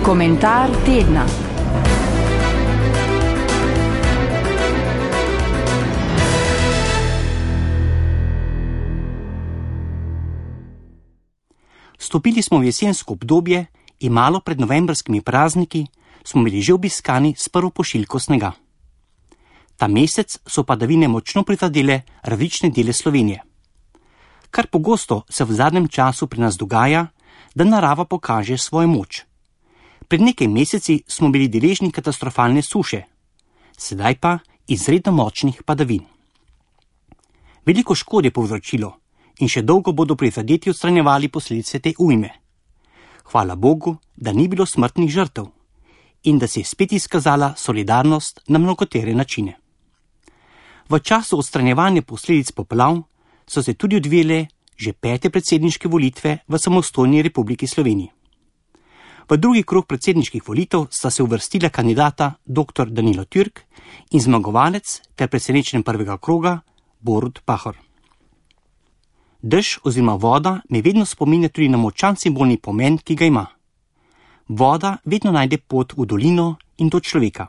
Komentar tedna. Stopili smo v jesensko obdobje in malo pred novembrskimi prazniki smo bili že obiskani s prvo pošiljko snega. Ta mesec so padavine močno prizadele različne dele Slovenije. Kar pogosto se v zadnjem času pri nas dogaja, da narava pokaže svojo moč. Pred nekaj meseci smo bili deležni katastrofalne suše, sedaj pa izredno močnih padavin. Veliko škode je povzročilo in še dolgo bodo prizadeti odstranjevali posledice te ujme. Hvala Bogu, da ni bilo smrtnih žrtev in da se je spet izkazala solidarnost na mnogotere načine. V času odstranjevanja posledic poplav so se tudi odvijale že 5. predsedniške volitve v samostojni Republiki Sloveniji. V drugi krog predsedniških volitev sta se uvrstila kandidata dr. Danilo Türk in zmagovalec ter presenečen prvega kroga Borut Pahor. Dež oziroma voda me vedno spominja tudi na močan simbolni pomen, ki ga ima. Voda vedno najde pot v dolino in do človeka.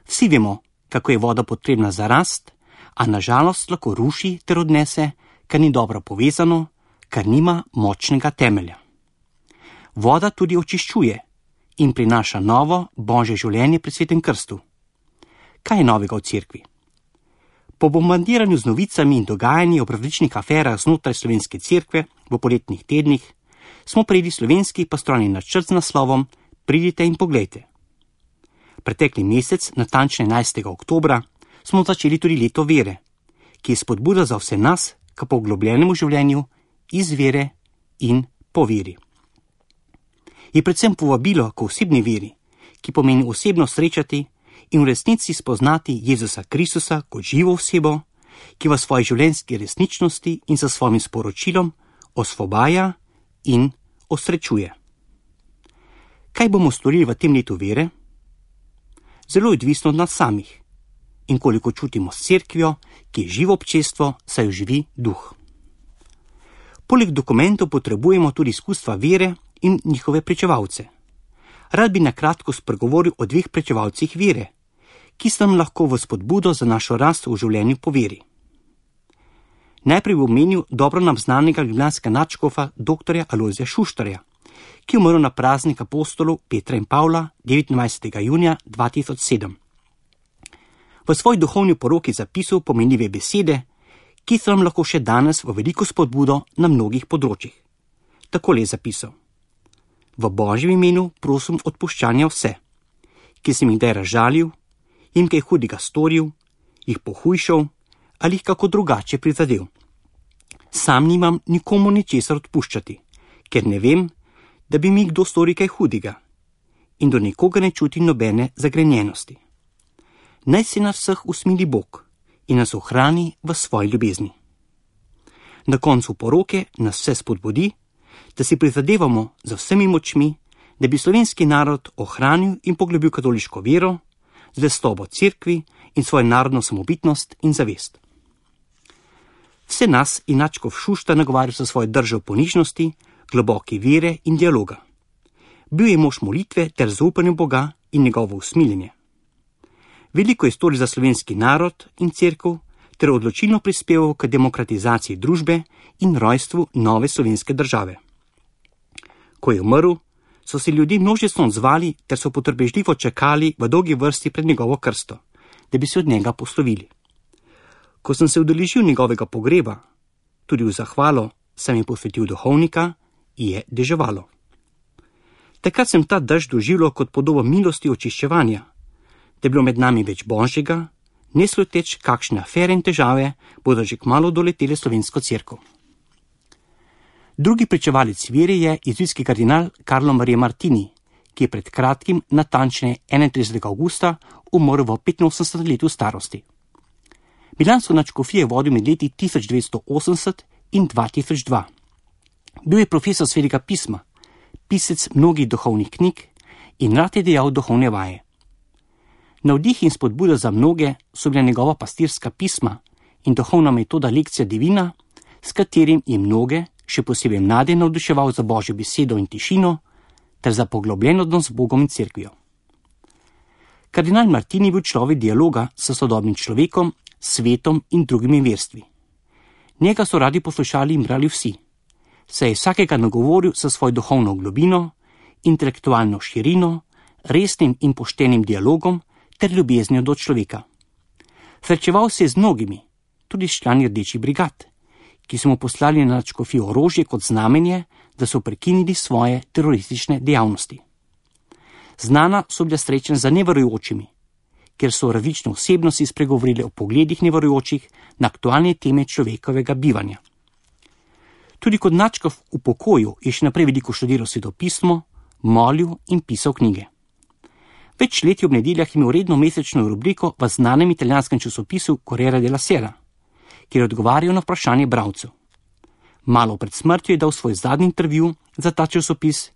Vsi vemo, kako je voda potrebna za rast, a nažalost lahko ruši ter odnese, kar ni dobro povezano, kar nima močnega temelja. Voda tudi očiščuje in prinaša novo božje življenje pri svetem krstu. Kaj je novega v cerkvi? Po bombardiranju z novicami in dogajanji o različnih aferah znotraj slovenske cerkve v poletnih tednih smo prejeli slovenski pastoralni načrt z naslovom Pridite in poglejte. Pretekli mesec, natančne 11. oktobra, smo začeli tudi leto vere, ki je spodbuda za vse nas k poglobljenemu življenju iz vere in po veri. Je predvsem povabilo k osebni veri, ki pomeni osebno srečati in v resnici spoznati Jezusa Kristusa kot živo osebo, ki v svoji življenjski resničnosti in sa svojim sporočilom osvobaja in osrečuje. Kaj bomo storili v tem letu vere? Zelo je odvisno od nas samih in koliko čutimo s cerkvijo, ki je živo občestvo, saj jo živi duh. Poleg dokumentov potrebujemo tudi izkustva vere in njihove pričevalce. Rad bi na kratko spregovoril o 2 pričevalcih vere, ki sta nam lahko v spodbudo za našo rast v življenju po veri. Najprej bi omenil dobro nam znanega ljubljanskega nadškofa dr. Alojzija Šuštarja, ki je umrl na praznik apostolov Petra in Pavla 29. junija 2007. V svoji duhovni poroki zapisal pomenljive besede, ki so nam lahko še danes v veliko spodbudo na mnogih področjih. Takole je zapisal: V Božjem imenu prosim odpuščanja vse, ki sem jih kdaj razžalil, jim kaj hudega storil, jih pohujšal ali jih kako drugače prizadel. Sam nimam nikomu ničesar odpuščati, ker ne vem, da bi mi kdo storil kaj hudega in do nikoga ne čutim nobene zagrenjenosti. Naj se nas vseh usmili Bog in nas ohrani v svoji ljubezni. Na koncu poroke nas vse spodbudi, da si prizadevamo za vsemi močmi, da bi slovenski narod ohranil in poglobil katoliško vero, zvestobo cerkvi in svojo narodno samobitnost in zavest. Vse nas in nadškof Šuštar nagovarja za svojo držo ponižnosti, globoke vere in dialoga. Bil je mož molitve ter zaupanja Boga in njegovo usmiljenje. Veliko je storil za slovenski narod in cerkev ter odločilno prispeval k demokratizaciji družbe in rojstvu nove slovenske države. Ko je umrl, so se ljudje množično odzvali ter so potrpežljivo čakali v dolgi vrsti pred njegovo krsto, da bi se od njega poslovili. Ko sem se udeležil njegovega pogreba, tudi v zahvalo sem jim posvetil duhovnika, je deževalo. Takrat sem ta dež doživljal kot podobo milosti očiščevanja, da je bilo med nami več božjega, ne sluteč kakšne afere in težave bodo že kmalu doletele slovensko cerkev. Drugi pričevalec vere je jezuitski kardinal Carlo Maria Martini, ki je pred kratkim, natančneje 31. avgusta, umrl v 85 letu starosti. Milansko nadškofijo je vodil med leti 1980 in 2002. Bil je profesor svetega pisma, pisec mnogih duhovnih knjig in rad je dejal duhovne vaje. Navdih in spodbuda za mnoge so bila njegova pastirska pisma in duhovna metoda lekcija divina, s katerim je mnoge, še posebej mlade, navduševal za Božjo besedo in tišino, ter za poglobljen odnos z Bogom in cerkvijo. Kardinal Martini je bil človek dialoga s sodobnim človekom, svetom in drugimi verstvi. Njega so radi poslušali in brali vsi, saj je vsakega nagovoril sa svojo duhovno globino, intelektualno širino, resnim in poštenim dialogom ter ljubeznijo do človeka. Srečeval se je z mnogimi, tudi s člani rdečih brigad, ki so mu poslali na nadškofijo orožje kot znamenje, da so prekinili svoje teroristične dejavnosti. Znana so bila srečanja za neverujočimi, kjer so različne osebnosti spregovorile o pogledih neverujočih na aktualne teme človekovega bivanja. Tudi kot nadškof v pokoju je še naprej veliko študiral svetopismo, molil in pisal knjige. Več let je ob nedeljah imel redno mesečno rubriko v znanem italijanskem časopisu Corriere della Sera, kjer odgovarjajo na vprašanje bralcev. Malo pred smrtjo je dal svoj zadnji intervju za ta časopis,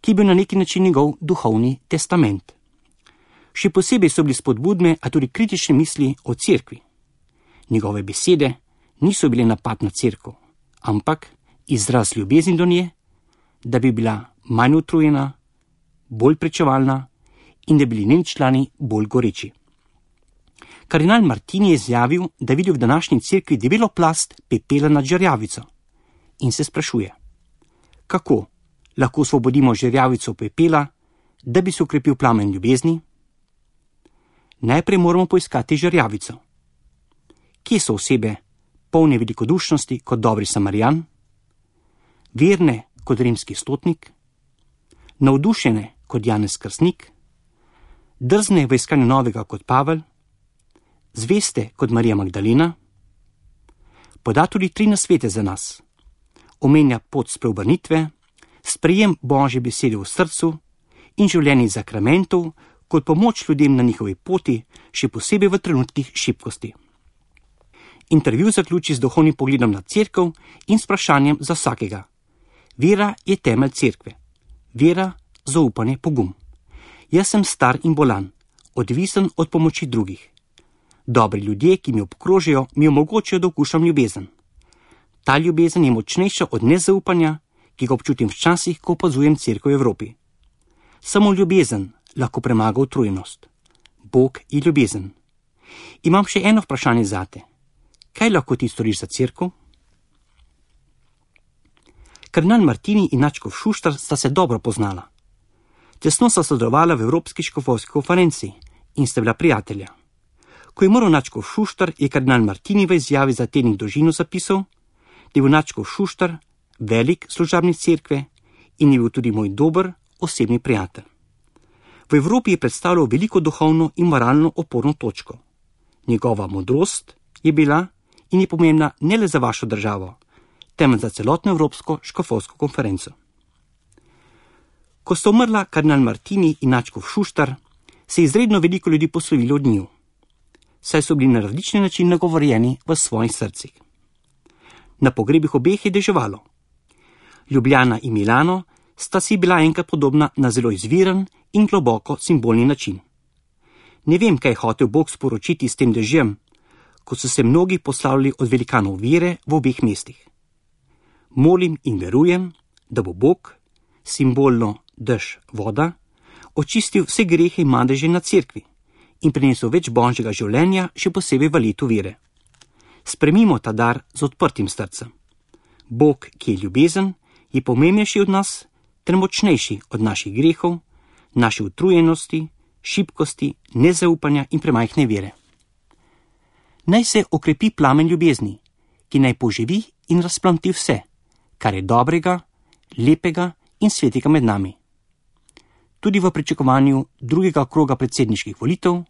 ki je bil na neki način njegov duhovni testament. Še posebej so bili spodbudne, a tudi kritične misli o cerkvi. Njegove besede niso bile napad na cerkev, ampak izraz ljubezni do nje, da bi bila manj utrujena, bolj pričevalna in da bi bili njeni člani bolj goreči. Kardinal Martini je izjavil, da vidi v današnji cerkvi debelo plast pepela nad žerjavico in se sprašuje, kako lahko osvobodimo žerjavico pepela, da bi se ukrepil plamen ljubezni? Najprej moramo poiskati žerjavico. Kje so osebe polne velikodušnosti kot dobri Samarijan, verne kot rimski stotnik, navdušene kot Janez Krstnik, drzne v iskanju novega kot Pavel, zveste kot Marija Magdalena? Poda tudi 3 nasvete za nas. Omenja pot spreobrnitve, sprejem Božje besede v srcu in življenje zakramentov kot pomoč ljudem na njihovi poti, še posebej v trenutkih šibkosti. Intervju zaključi z duhovnim pogledom na cerkev in s vprašanjem za vsakega. Vera je temelj cerkve. Vera, zaupanje, pogum. Jaz sem star in bolan, odvisen od pomoči drugih. Dobri ljudje, ki mi obkrožijo, mi omogočajo, da okušam ljubezen. Ta ljubezen je močnejša od nezaupanja, ki ga občutim včasih, ko opazujem cerkev v Evropi. Samo ljubezen lahko premaga utrujenost. Bog je ljubezen. Imam še eno vprašanje zate. Kaj lahko ti storiš za cerkev? Kardinal Martini in nadškof Šuštar sta se dobro poznala. Tesno sta sodelovala v Evropski škofovski konferenci in sta bila prijatelja. Ko je umrl nadškof Šuštar, je kardinal Martini v izjavi za tednik Dolžino zapisal, da je bil nadškof Šuštar velik služabnik cerkve in je bil tudi moj dober osebni prijatelj. V Evropi je predstavljal veliko duhovno in moralno oporno točko. Njegova modrost je bila in je pomembna ne le za vašo državo, temveč za celotno Evropsko škofovsko konferenco. Ko sta umrla kardinal Martini in nadškof Šuštar, se je izredno veliko ljudi poslovilo od njiju, saj so bili na različne načine nagovorjeni v svojih srcih. Na pogrebih obeh je deževalo. Ljubljana in Milano sta si bila enkrat podobna na zelo izviren in globoko simbolni način. Ne vem, kaj je hotel Bog sporočiti s tem dežjem, ko so se mnogi poslavljali od velikanov vere v obeh mestih. Molim in verujem, da bo Bog, simbolno dež voda, očistil vse grehe in madeže na cerkvi in prinesel več božjega življenja, še posebej v letu vere. Spremimo ta dar z odprtim srcem. Bog, ki je ljubezen, je pomembnejši od nas ter močnejši od naših grehov, naše utrujenosti, šibkosti, nezaupanja in premajhne vere. Naj se okrepi plamen ljubezni, ki naj poživi in razplamti vse, kar je dobrega, lepega in svetega med nami. Tudi v pričakovanju drugega kroga predsedniških volitev,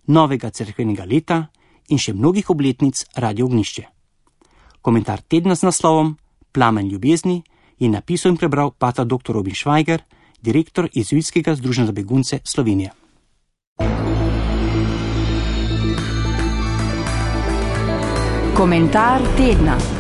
novega cerkvenega leta in še mnogih obletnic Radio Ognjišče. Komentar tedna z naslovom Plamen ljubezni je napisal in prebral pater dr. Robin Švajger, direktor Jezuitskega združenja za begunce Slovenije. Komentar tedna.